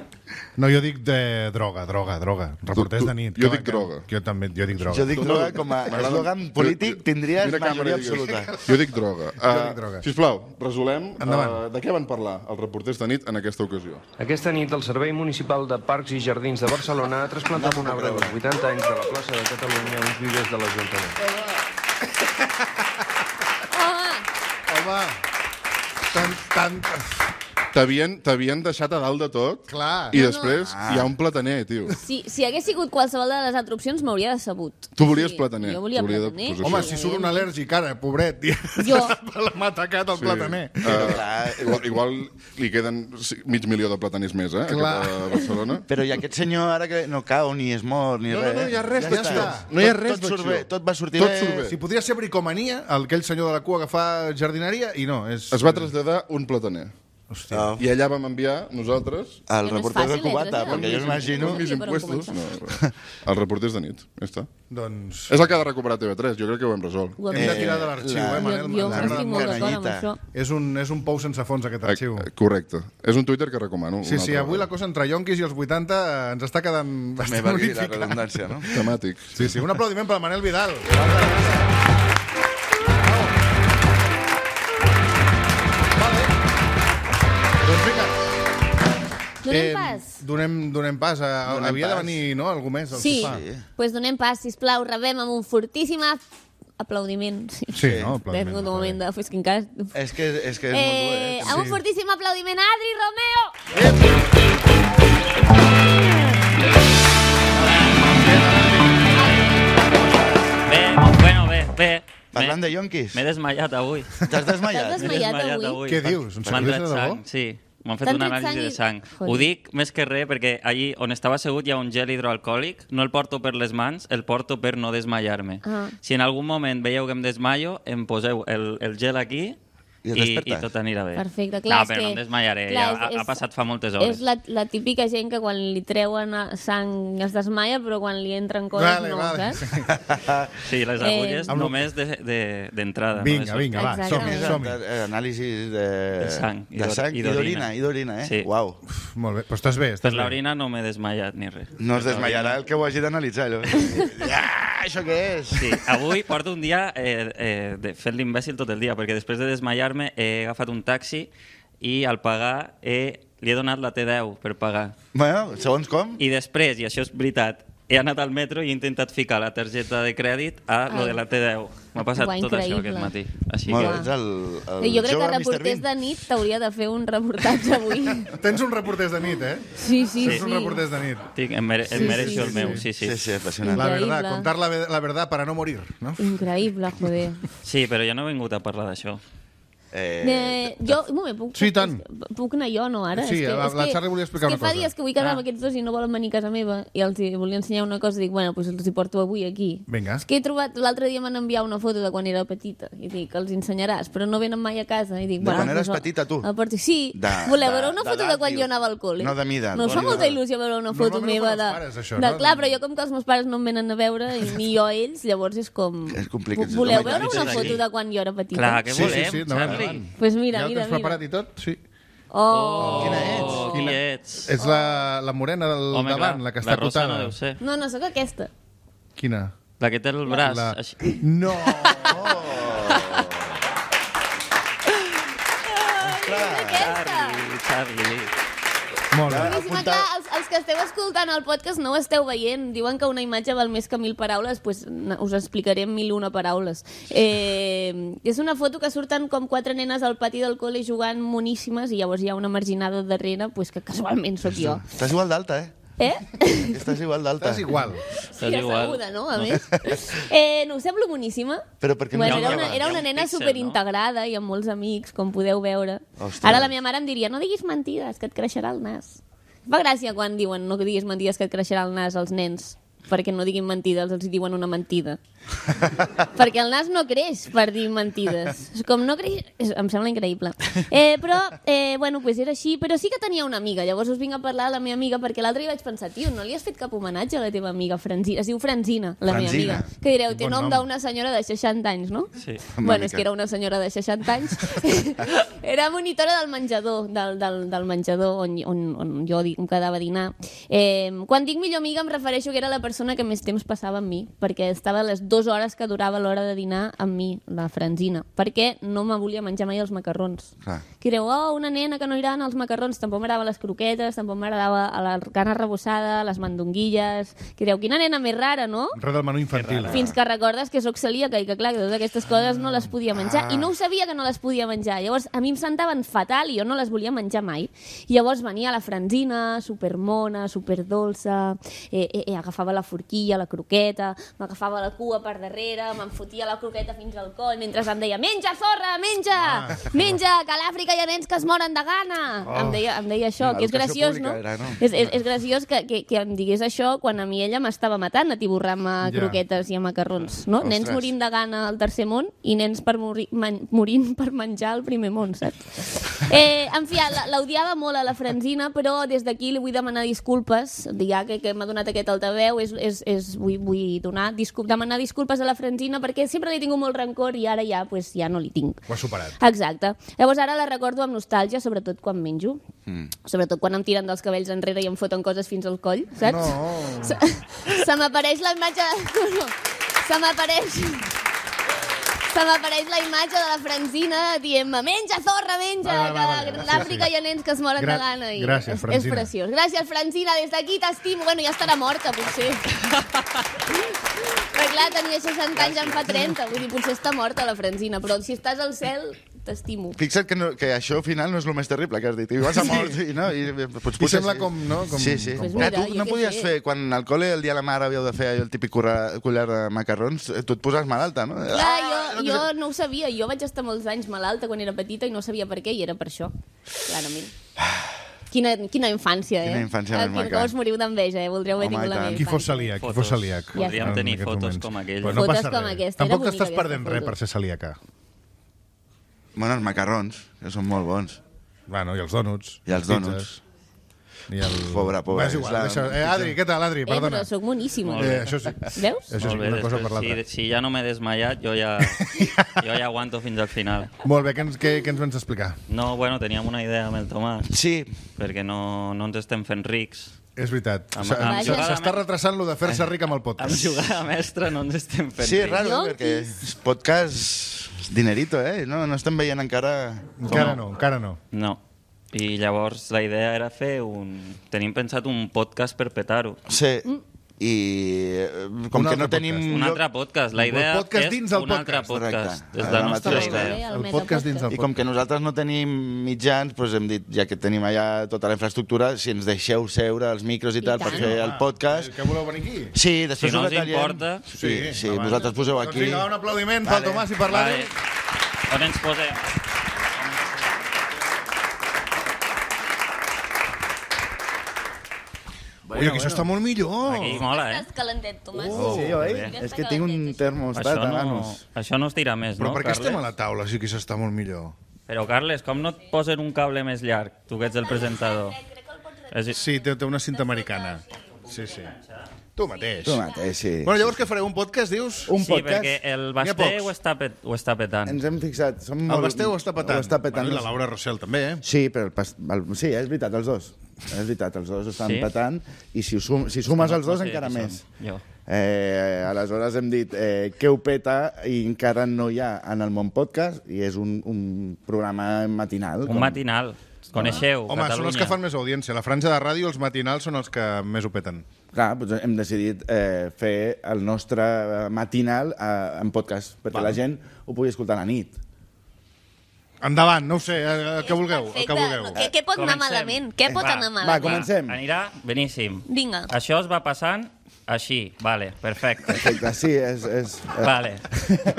No, jo dic de droga, droga, droga. Reporters Tu- tu- de nit. jo que- dic que- droga. Que jo també, jo dic droga. Jo dic droga com a M'agrada- eslògan polític tindries Mira càmera majoria i digues. absoluta. Jo dic droga. Jo dic droga. Uh, sisplau, resolem Endavant. uh, de què van parlar els reporters de nit en aquesta ocasió. Aquesta nit, el Servei Municipal de Parcs i Jardins de Barcelona ha trasplantat un arbre dels vuitanta anys de la plaça de Catalunya a uns vivers de l'Ajuntament. Home, Home, tant, tant... T'havien t'havien deixat a dalt de tot Clar. i No, no. després hi ha un plataner, tio. si, si hagués sigut qualsevol de les altres opcions m'hauria decebut. Tu volies Sí, plataner. Jo volia Tu volia de- plataner. pues Home, això. si surt un al·lèrgic ara, pobret, i Jo. l'ha atacat el plataner. Uh, igual, igual li queden sí, mig milió de plataners més, eh? Clar. Aquí a Barcelona. Però i aquest senyor ara que no cau ni es mor ni No, res. no, no hi ha res Ja d'acció. està. No hi ha Tot- res tot surt d'acció. bé, tot va sortir Tot bé. surt bé. Si podria ser bricomania, el- aquell senyor de la cua que fa jardineria, i no, és... Es va traslladar un plataner. Hòstia. Oh. I allà vam enviar nosaltres El Que no és reporter de fàcil, eh, Cubata, traslladar. perquè jo m'imagino... uns Sí, per on impuestos. No, començar. els reporters de nit. Ja està. Doncs És el que ha de recuperar T V tres. Jo crec que ho hem resolt. Ho hem hem de de tirar de l'arxiu, la- eh, Manel? Jo, jo M'ha agradat estic molt molt. d'acord amb canallita. això. És un, és un pou sense fons, aquest arxiu. Eh, Correcte. És un Twitter que recomano. Sí, una sí, altra avui la vegada. cosa entre yonquis i els vuitanta ens està quedant Me bastant valgui la unificada. redundància, no? Temàtic. Sí, sí, un aplaudiment per Manel Vidal. Doncs vinga, Donem pas. Donem, donem pas. A, a, Donem havia de pas. venir, no?, algú més al Sí, sofà. doncs pues donem pas, sisplau, rebem amb un fortíssim ap- aplaudiment. Sí. Sí, no? He tingut un moment de... És que encara... És que, és que és molt dur, Eh, eh? amb un Sí. fortíssim aplaudiment a Adri Romeo! Bé, bueno, bé, bé. Parlant M'he- de yonquis, M'he desmaiat avui. t'has desmaiat? T'has M'he desmaiat avui? Què dius? Un M'han sacrifici tret de debò? sang, sí. M'han fet T'han una tret anàlisi sang de i- sang. Joder. Ho dic més que res perquè allí on estava assegut hi ha un gel hidroalcohòlic. No el porto per les mans, el porto per no desmaiar-me. Ah. Si en algun moment veieu que em desmaio, em poseu el, el gel aquí I et i, despertes. i tot anirà bé. Perfecte, clar, No, és però que- no em desmaiaré. clar, ja és- ha, ha és- passat fa moltes hores. És la, la típica gent que quan li treuen a- sang es desmaia, però quan li entren coses Vale, no, vale. saps? Sí, les Eh, agulles Amb lo- només de- de- d'entrada. De, Vinga, vinga, va, Exactament. som-hi, som-hi. Eh, Anàlisis de... De sang i de d'or- sang i i d'orina, i d'orina, eh? Sí. Uau. Molt bé, però estàs bé, Per estàs bé. l'orina no m'he desmaiat ni res. No es desmaiarà el que ho hagi d'analitzar. allò. Ja, això què és? Sí, avui porto un dia eh, eh, de fent l'imbècil tot el dia, perquè després de desmaiar-me he agafat un taxi i al pagar he, li he donat la T deu per pagar. Bueno, segons com? I després, i això és veritat, he anat al metro i he intentat ficar la targeta de crèdit a lo Ah. de la T deu. M'ha passat Uau, tot això increïble. aquest matí. Així Molt que... bé, ets el, el Jo crec jove que mister reporters Bean. de nit t'hauria de fer un reportatge avui. Tens un reporters de nit, eh? Sí, sí, Tens sí. un reporters de nit. Tinc, em, mere, em Sí, mereixo sí, el sí, meu, sí. sí, sí. Sí, sí, apassionant. La Increïble. verdad, contar la, ve- la verdad para no morir, no? Increïble, joder. Sí, però jo no he vingut a parlar d'això. Eh, Eh, jo, un moment, puc, Sí, puc, tant. puc anar jo, no, ara? Sí, és que, la- és la que, Charlie volia explicar és una que fa cosa. dies que vull quedar Ah. amb aquests dos i no volen venir a casa meva i els hi volia ensenyar una cosa i dic, bueno, doncs els hi porto avui aquí. Vinga. És que he trobat, l'altre dia m'han enviat una foto de quan era petita i dic, els ensenyaràs, però no venen mai a casa. I dic, De bueno, quan eres doncs, petita, tu? A partir, sí. De- Voleu de- veure una de foto de, edat, quan dius. jo anava al col·le? No de mida, No us fa de- molta il·lusió veure una foto Normalment ho meva fan de... els pares, això, de no? clar, però jo com que els meus pares no em venen a veure i ni jo a ells, llavors és com... És complicat. Voleu Home, veure clar, una és foto aquí. de quan jo era petita? Clar, què Sí, sí, volem, sí, endavant, Charlie? endavant. Pues mira, ja ho mira, tens mira. preparat i tot? Sí. Oh. Quina ets? Oh, qui ets? És la, la morena del Home, davant, clar, la que la està rosa acotada. no deu ser. No, no, sóc aquesta. Quina? La que té el braç. La... Així. No! Aquesta. Charlie, Charlie. Molt bé. Boníssima, clar, els, els que esteu escoltant el podcast no ho esteu veient. Diuen que una imatge val més que mil paraules, doncs us explicaré en mil una paraules. Eh, és una foto que surten com quatre nenes al pati del col·le jugant moníssimes i llavors hi ha una marginada darrere, pues, que casualment sóc jo. Estàs igual d'alta, eh? Eh? Estàs igual d'alta. Estàs igual. Sí, asseguda, no? A més. Eh, no us semblo boníssima? Però per què no Bueno, hi ha era una- una, era hi ha una un nena píxel, superintegrada i amb molts amics, com podeu veure. Ostres. Ara la meva mare em diria, no diguis mentides, que et creixerà el nas. Fa gràcia quan diuen no diguis mentides que et creixerà el nas als nens, perquè no diguin mentides, els diuen una mentida. Perquè el nas no creix per dir mentides. És com no creix... És, em sembla increïble. Eh, però, eh, bueno, pues era així. Però sí que tenia una amiga. Llavors us vinc a parlar de la meva amiga, perquè l'altre dia vaig pensar, tio, no li has fet cap homenatge a la teva amiga Franzina? Es diu Franzina, la meva Franzina. amiga. Que direu, té Bon nom nom. d'una senyora de seixanta anys, no? Sí. Bueno, és que era una senyora de seixanta anys. Era monitora del menjador, del, del, del menjador on, on, on jo em quedava a dinar. Eh, quan dic millor amiga em refereixo que era la persona que més temps passava amb mi, perquè estava a les dues hores que durava l'hora de dinar amb mi, la Franzina, perquè no me volia menjar mai els macarrons. Clar. Que direu, oh, una nena que no irà als macarrons, tampoc m'agradaven les croquetes, tampoc m'agradava la carn arrebossada, les mandonguilles... Que direu, quina nena més rara, no? Res del menú infantil. Fins que recordes que sóc celíaca i que, clar, que totes aquestes coses no les podia menjar. I no ho sabia que no les podia menjar. Llavors, a mi em sentaven fatal i jo no les volia menjar mai. I llavors venia la Franzina, supermona, superdolça, eh, eh, eh, agafava la forquilla, la croqueta, m'agafava la cua per darrere, me'n fotia la croqueta fins al coll, mentre em deia, menja, zorra, menja! Ah. Menja, que a l'Àfrica hi ha nens que es moren de gana! Oh. Em, deia, em deia això, que és Educació graciós, no? pública era, no? És, és, és graciós que, que, que em digués això quan a mi ella m'estava matant atiborrant-me Ja. croquetes i a macarrons, no? Ostres. Nens morint de gana al tercer món i nens per morir, man, morint per menjar al primer món, saps? Eh, en fi, la- l'odiava molt a la Franzina, però des d'aquí li vull demanar disculpes, ja que, que m'ha donat aquest altaveu, és, és, és, vull, vull donar, discul demanar disculpes a la Franzina perquè sempre li he tingut molt rancor i ara ja, pues, ja no li tinc. Ho has superat. Exacte. Llavors ara la recordo amb nostàlgia, sobretot quan menjo. Mm. Sobretot quan em tiren dels cabells enrere i em foten coses fins al coll, saps? No. Se, se m'apareix la imatge... No, no. Se m'apareix... Se m'apareix la imatge de la Franzina dient-me menja, zorra, menja, Vale, vale, vale, que vale. a l'Àfrica Sí, sí. hi ha nens que es moren Gra- de gana. I gràcies, és, és Franzina. preciós. Gràcies, Franzina, des d'aquí t'estimo. Bueno, ja estarà morta, potser. Però clar, tenia seixanta anys, en fa trenta. Vull dir, potser està morta la Franzina, però si estàs al cel, t'estimo. Fixa't que, no, que això al final no és el més terrible que has dit. Igual s'ha mort, i, no? I, pues, I sembla com, no? Com, Sí, sí. Pues Com... mira, tu jo no què podies sé. fer, quan al col·le el dia de la mare havíeu de fer allò, el típic curra- collar de macarrons, eh, tu et poses malalta, no? Clar, Ah, jo, jo no ho sabia. Jo vaig estar molts anys malalta quan era petita i no sabia per què, i era per això, clarament. Quina, quina infància, eh? Quina infància Ah, més quina- maca. Com us moriu d'enveja, eh? Voldreu haver Home, tingut i la tant. meva Qui fos infància. celíac, qui Fotos. fos celíac. Podríem en tenir aquests fotos moments. com aquella. Però no Fotos passa com res. aquesta, era Tampoc bonica t'estàs aquesta perdent res foto. per ser celíaca. Bueno, els macarrons, que són molt bons. Bueno, i els dònuts. I els les dònuts. pizzas, I el... Pobre, pobre, Va, és igual, és la- deixa... eh, Adri, què tal, Adri? Eh, Perdona. però sóc moníssima. Molt bé. Eh, això sí. Veus? Això sí, Molt bé, una cosa després, per l'altra. si, si ja no m'he desmaiat, jo ja, jo ja aguanto fins al final. Molt bé, què ens, què, què ens vens a explicar? No, bueno, teníem una idea amb el Tomàs, Sí, perquè no, no ens estem fent rics. És veritat. Amb- S- amb s- jugada S'està me- retrasant lo de fer-se ric amb el Amb podcast. jugada mestra no ens estem fent sí, és rics. raro, eh, Yonquis. perquè és podcast dinerito, eh? No, no estem veient encara... Encara no, encara no. No. I llavors la idea era fer un... Tenim pensat un podcast per petar-ho. Sí, i eh, com Un que no altre tenim... podcast. Un lloc- altre podcast. La Un idea podcast és dins del un altre podcast. podcast. Correcte. És Ah, la la nostra mateixa idea. El El podcast dins del I com que nosaltres no tenim mitjans, doncs hem dit, ja que tenim allà tota la infraestructura, si ens deixeu seure els micros i, I tal per tant. fer el podcast... Que voleu venir aquí? Sí, després Si no ho us detallem. importa. Sí, sí, endavant. vosaltres poseu Doncs aquí. vinga, un aplaudiment Vale. pel Tomàs i per l'Adri. Vale. On ens posem? Ui, aquí això està molt millor. Aquí mola, eh? Estàs calentet, Tomàs. Oh, Sí, oi? bé. És que tinc un termostat Això a no, manos. això no es tira més, Però no, per què Carles? estem a la taula si aquí això està molt millor? Però, Carles, com no et posen un cable més llarg, tu que ets el presentador? És... Sí, té, té una cinta americana. Sí, sí. Tu mateix. Tu mateix, sí. Bueno, llavors què fareu? Un podcast, dius? Un Sí, podcast. perquè el N'hi ha Basté pocs. ho està, pet, ho està petant. Ens hem fixat. Som El molt... Basté ho està petant. Ho està petant. Bueno, i la Laura Rossell també, eh? Sí, però el, pas... el... sí, és veritat, els dos. És veritat, els dos estan Sí? petant i si, ho sum... si sumes No- els dos no sé encara qui més. som. Jo. Eh, aleshores hem dit eh, què ho peta i encara no hi ha en el món podcast i és un, un programa matinal. Un matinal. Coneixeu, Home, Catalunya. són els que fan més audiència. La franja de ràdio, els matinals, són els que més ho peten. Clar, doncs hem decidit eh, fer el nostre eh, matinal eh, en podcast, perquè Val. la gent ho pugui escoltar a la nit. Endavant, no ho sé, eh, el que vulgueu. El que vulgueu. Què, què pot anar Comencem. malament? Què pot Va, anar Va, malament? comencem. Anirà beníssim. Vinga. Això es va passant així, vale, perfecte. Perfecte, sí, és... és eh, Vale,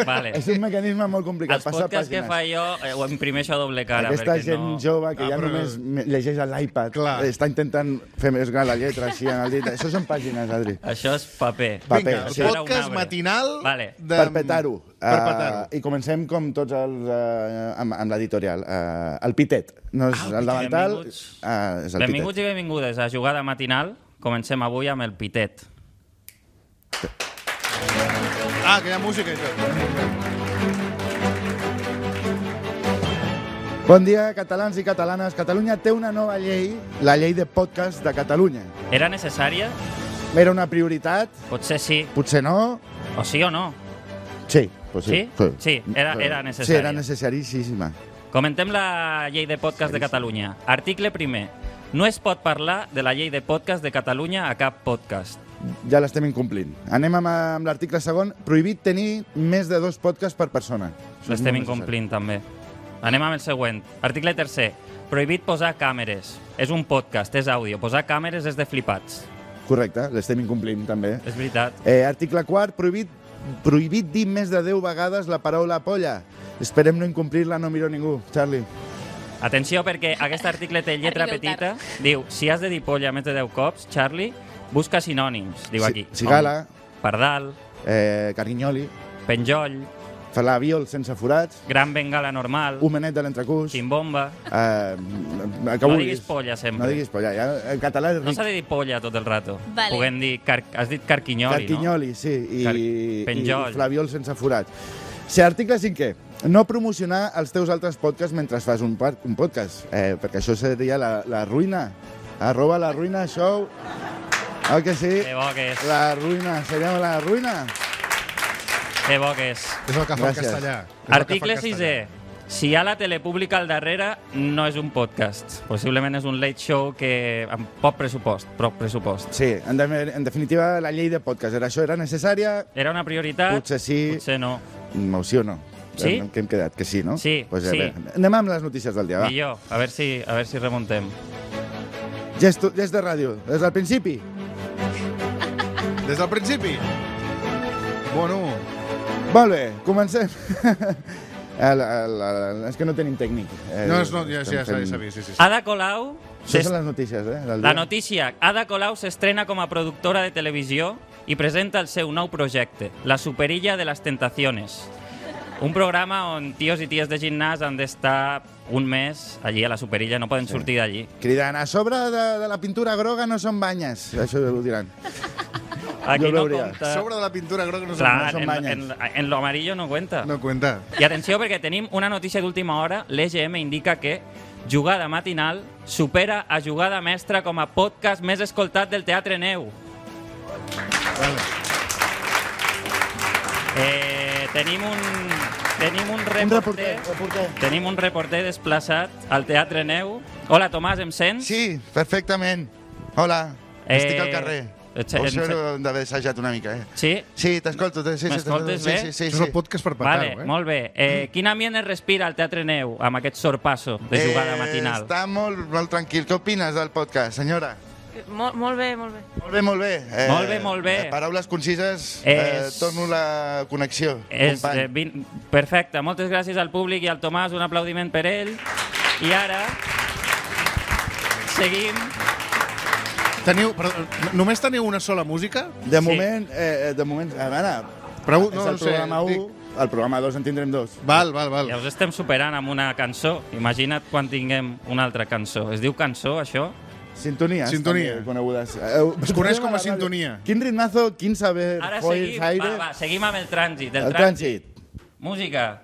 vale. És un mecanisme molt complicat, Els passar podcasts que pàgines. fa jo eh, ho imprimeixo a doble cara. Aquesta perquè gent no... jove que Ah, ja però- només me- llegeix a l'iPad, Clar. eh, està intentant fer més gran la lletra així en el dit. Això són pàgines, Adri. Això és paper. Paper, Vinga, el sí. podcast matinal... Vale. De... Per petar-ho. Per Eh, petar-ho. I comencem com tots els... Uh, amb, amb l'editorial. Uh, el Pitet. No és Ah, el davantal, benvinguts. uh, és el Benvinguts Pitet. i benvingudes a Jugada Matinal. Comencem avui amb el Pitet. Ah, que hi ha música i tot. Bon dia, catalans i catalanes. Catalunya té una nova llei, la llei de podcast de Catalunya. Era necessària? Era una prioritat? Potser sí. Potser no? O sí o no? Sí. Pues sí, Sí? Sí, era- era Sí, necessària. era necessaríssima. Comentem la llei de podcast de Catalunya. Article primer. No es pot parlar de la llei de podcast de Catalunya a cap podcast. Ja l'estem incomplint. Anem amb, amb l'article segon. Prohibit tenir més de dos podcasts per persona. Això és L'estem molt incomplint, també. Anem amb el següent. Article tercer. Prohibit posar càmeres. És un podcast, és àudio. Posar càmeres és de flipats. necessari. Correcte, l'estem incomplint, també. És veritat. Eh, article quart. Prohibit, prohibit dir més de deu vegades la paraula polla. Esperem no incomplir-la, no miro ningú. Charlie. Atenció, perquè aquest article té lletra Arribeu petita. tard. Diu, si has de dir polla més de deu cops, Charlie, busca sinònims. Diu Si- aquí. cigala. Com Pardal, Eh, Carinyoli. penjoll, Falabiol sense forats. gran bengala normal, Homenet de l'entrecús. quimbomba... Eh, el que No vulguis. diguis polla sempre. No diguis polla. Ja, en català és No ric. s'ha de dir polla tot el rato. Vale. Puguem dir... Car... Has dit carquinyoli, Carquinyoli, sí, i, Car- i penjoll. flabiol sense forats. Si article cinquè, no promocionar els teus altres podcasts mentre fas un, par- un podcast, eh, perquè això seria la, la ruïna. Arroba la ruïna show. Ah, que sí? no? Que bo que és. La ruïna, seria la ruïna. Que bo que és. És el que fa el Gràcies. castellà. És el que Article fa el sisè. Si hi ha la tele pública al darrere, no és un podcast. Possiblement és un late show que amb poc pressupost, poc pressupost. Sí, en, de, en definitiva, la llei de podcast. Era això, era necessària? Era una prioritat? Potser sí. Potser no. No, sí o no? Sí? En què hem quedat? Que sí, no? Sí, pues, sí. A veure, anem amb les notícies del dia, va. Millor. A veure si, a veure si remuntem. Gest, gest de ràdio, des del principi. Des del principi. Bueno, Molt bé, comencem. el, el, el, és que no tenim tècnic. Eh, no, és, no, ja, ja, ja, estem ja fent- s'ha vist, sí, sí. sí. Ada Colau... Això són les notícies, eh? Del La dia. notícia. Ada Colau s'estrena com a productora de televisió i presenta el seu nou projecte, La Superilla de las Tentaciones. Un programa on tios i ties de gimnàs han d'estar un mes allí a la Superilla, no poden sortir d'allí. Cridant, a sobre de, de la pintura groga no són banyes. Això ho diran. Aquí Jo no veuria. compta... Sobre de la pintura groga no Clar, són en, banyes. en, en lo amarillo no cuenta. No cuenta. I atenció, perquè tenim una notícia d'última hora. L'E G M indica que Jugada Matinal supera a Jugada Mestra com a podcast més escoltat del Teatre Neu. Eh, tenim un, tenim un Un reporter, reporter, reporter. tenim un reporter desplaçat al Teatre Neu. Hola, Tomàs, em sents? Sí, perfectament. Hola, Eh, estic al carrer. ets- Ho ets- sé d'haver assajat una mica, eh? Sí? Sí, t'escolto. Sí, sí, M'escoltes sí, bé? Sí, sí, Això és sí. el podcast per petar-ho, Vale, eh? molt bé. Eh, quin ambient es respira al Teatre Neu amb aquest sorpasso de Jugada Matinal? Eh, està molt, molt tranquil. Què opines del podcast, senyora? Molt, molt bé, molt bé. Molt bé, molt bé. Eh, Molt bé, molt bé. Eh, paraules concises, eh, És- torno la connexió, És, company. eh, vin... Perfecte, moltes gràcies al públic i al Tomàs, un aplaudiment per ell. I ara seguim. Teniu, però, només teniu una sola música? De Sí. moment, eh, de moment, a veure, Pregu- és no, el no sé, programa u, dic- el programa dos en tindrem dos. Val, val, val. Ja us estem superant amb una cançó. Imagina't quan tinguem una altra cançó. Es diu cançó, això? Sintonies, Sintonia. també, conegudes. Eh, Es coneix com a la ràdio. sintonia. Quin ritmazo, quin saber, Ara foils, seguim, aire... va, va, seguim amb el trànsit. El, El trànsit. Música.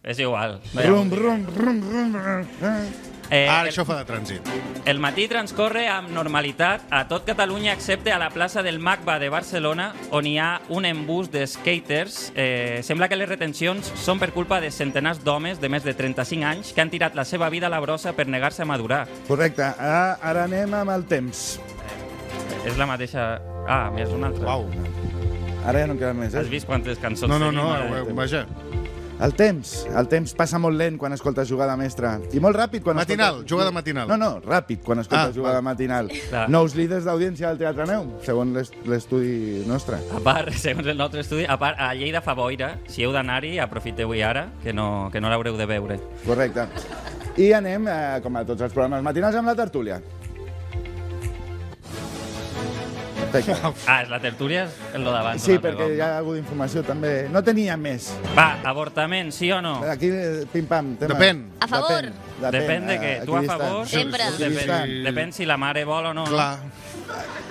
És igual. Rum, rum, rum, rum, rum. Eh, Ara el, això fa de trànsit. el matí transcorre amb normalitat a tot Catalunya excepte a la plaça del MACBA de Barcelona, on hi ha un embús de skaters. Eh, sembla que les retencions són per culpa de centenars d'homes de més de trenta-cinc anys que han tirat la seva vida a la brossa per negar-se a madurar. Correcte. Ara, ara anem amb el temps. És la mateixa... Ah, més una altra. Uau. Ara ja no queda més, Has eh? vist quantes cançons No, no, tenim? no, eh? eh, vaja. El temps. El temps passa molt lent quan escoltes jugada mestra. I molt ràpid quan Matinal, escoltes... jugada matinal. No, no, ràpid quan escoltes Ah, jugada val. matinal. Clar. Nous líders d'audiència del Teatre Neu, segons l'est- l'estudi nostre. A part, segons el nostre estudi, a part, a Lleida fa boira. Si heu d'anar-hi, aprofiteu-hi ara, que no, que no l'haureu de veure. Correcte. I anem, eh, com a tots els programes matinals, amb la tertúlia. Perfecte. Ah, és la tertúlia, és el d'abans. Sí, un altre perquè cop. hi ha hagut d'informació també. No tenia més. Va, avortament, sí o no? Aquí, eh, pim-pam, tema. Depèn. A favor. Depèn de què. eh, Tu a equidistant. favor? Sempre. Depèn, Equidistant. depèn si la mare vol o no. Clar.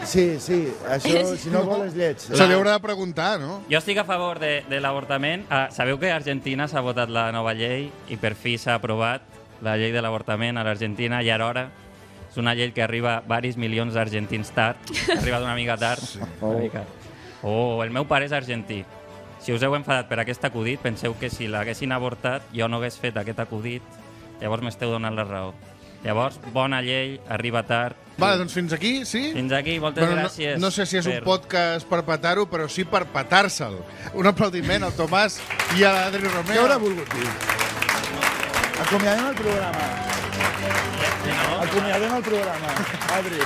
Sí, sí, això, si no vol és lleig. Se li haurà de preguntar, no? Jo estic a favor de, de l'avortament. Ah, sabeu que a Argentina s'ha votat la nova llei i per fi s'ha aprovat la llei de l'avortament a l'Argentina i ara hora. És una llei que arriba varis milions d'argentins tard. Ha arribat una mica tard. Sí. Una mica. Oh, el meu pare és argentí. Si us heu enfadat per aquest acudit, penseu que si l'haguessin avortat jo no hagués fet aquest acudit, llavors m'esteu donant la raó. Llavors, bona llei, arriba tard. Vale, doncs fins aquí, sí? Fins aquí, moltes Bueno, no, gràcies. no sé si és per- un podcast per petar-ho, però sí per petar-se'l. Un aplaudiment al Tomàs i a l'Adri Què Romeo. haurà volgut dir? Acomiadem el programa. Sí, no? Acomiadem el programa. Adri.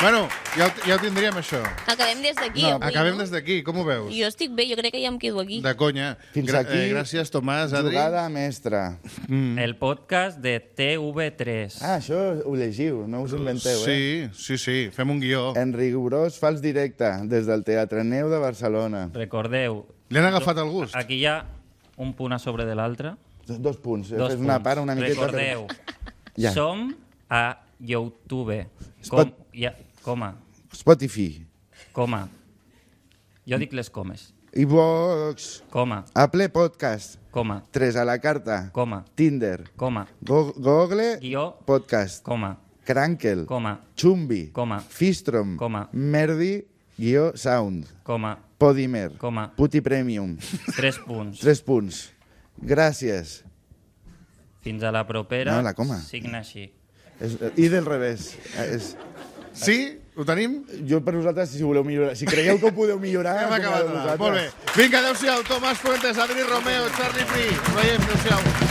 Bueno, ja, ho- ja ho tindríem, això. Acabem des d'aquí, No, avui, Acabem no? des d'aquí, com ho veus? Jo estic bé, jo crec que ja em quedo aquí. De conya. Fins Gra- aquí, eh, gràcies, Tomàs, Adri. Jugada mestra. El podcast de T V tres. Ah, això ho llegiu, no us inventeu, eh? Sí, sí, sí, fem un guió. En rigorós fals directe, des del Teatre Neu de Barcelona. Recordeu, Li han agafat el gust. aquí hi ha un punt a sobre de l'altre. Dos punts. He Dos fet una punts. part una miqueta... Recordeu, Ja. som a YouTube. Spot- Com, ja, coma, Spotify, coma. Jo dic les comes. iVox, Coma, Apple Podcast, coma, tres a la carta, coma, Tinder, coma, Go Google guió, Podcast, coma, Crankel, coma, Chumbi, Coma. Fistrom, Coma. Merdi, guió Sound, coma, Podimer, Coma. Puti Premium. tres punts. Tres punts. Gràcies. Fins a la propera. No, la coma. Signa així. És, I del revés. És, Sí? Ho tenim? jo per vosaltres, si voleu millorar, si creieu que ho podeu millorar... Hem acabat. acomiadeu Molt bé. vosaltres. Vinga, adéu-siau. Tomàs Fuentes, Adri Romeo, Charlie Free. Ens veiem, adéu-siau.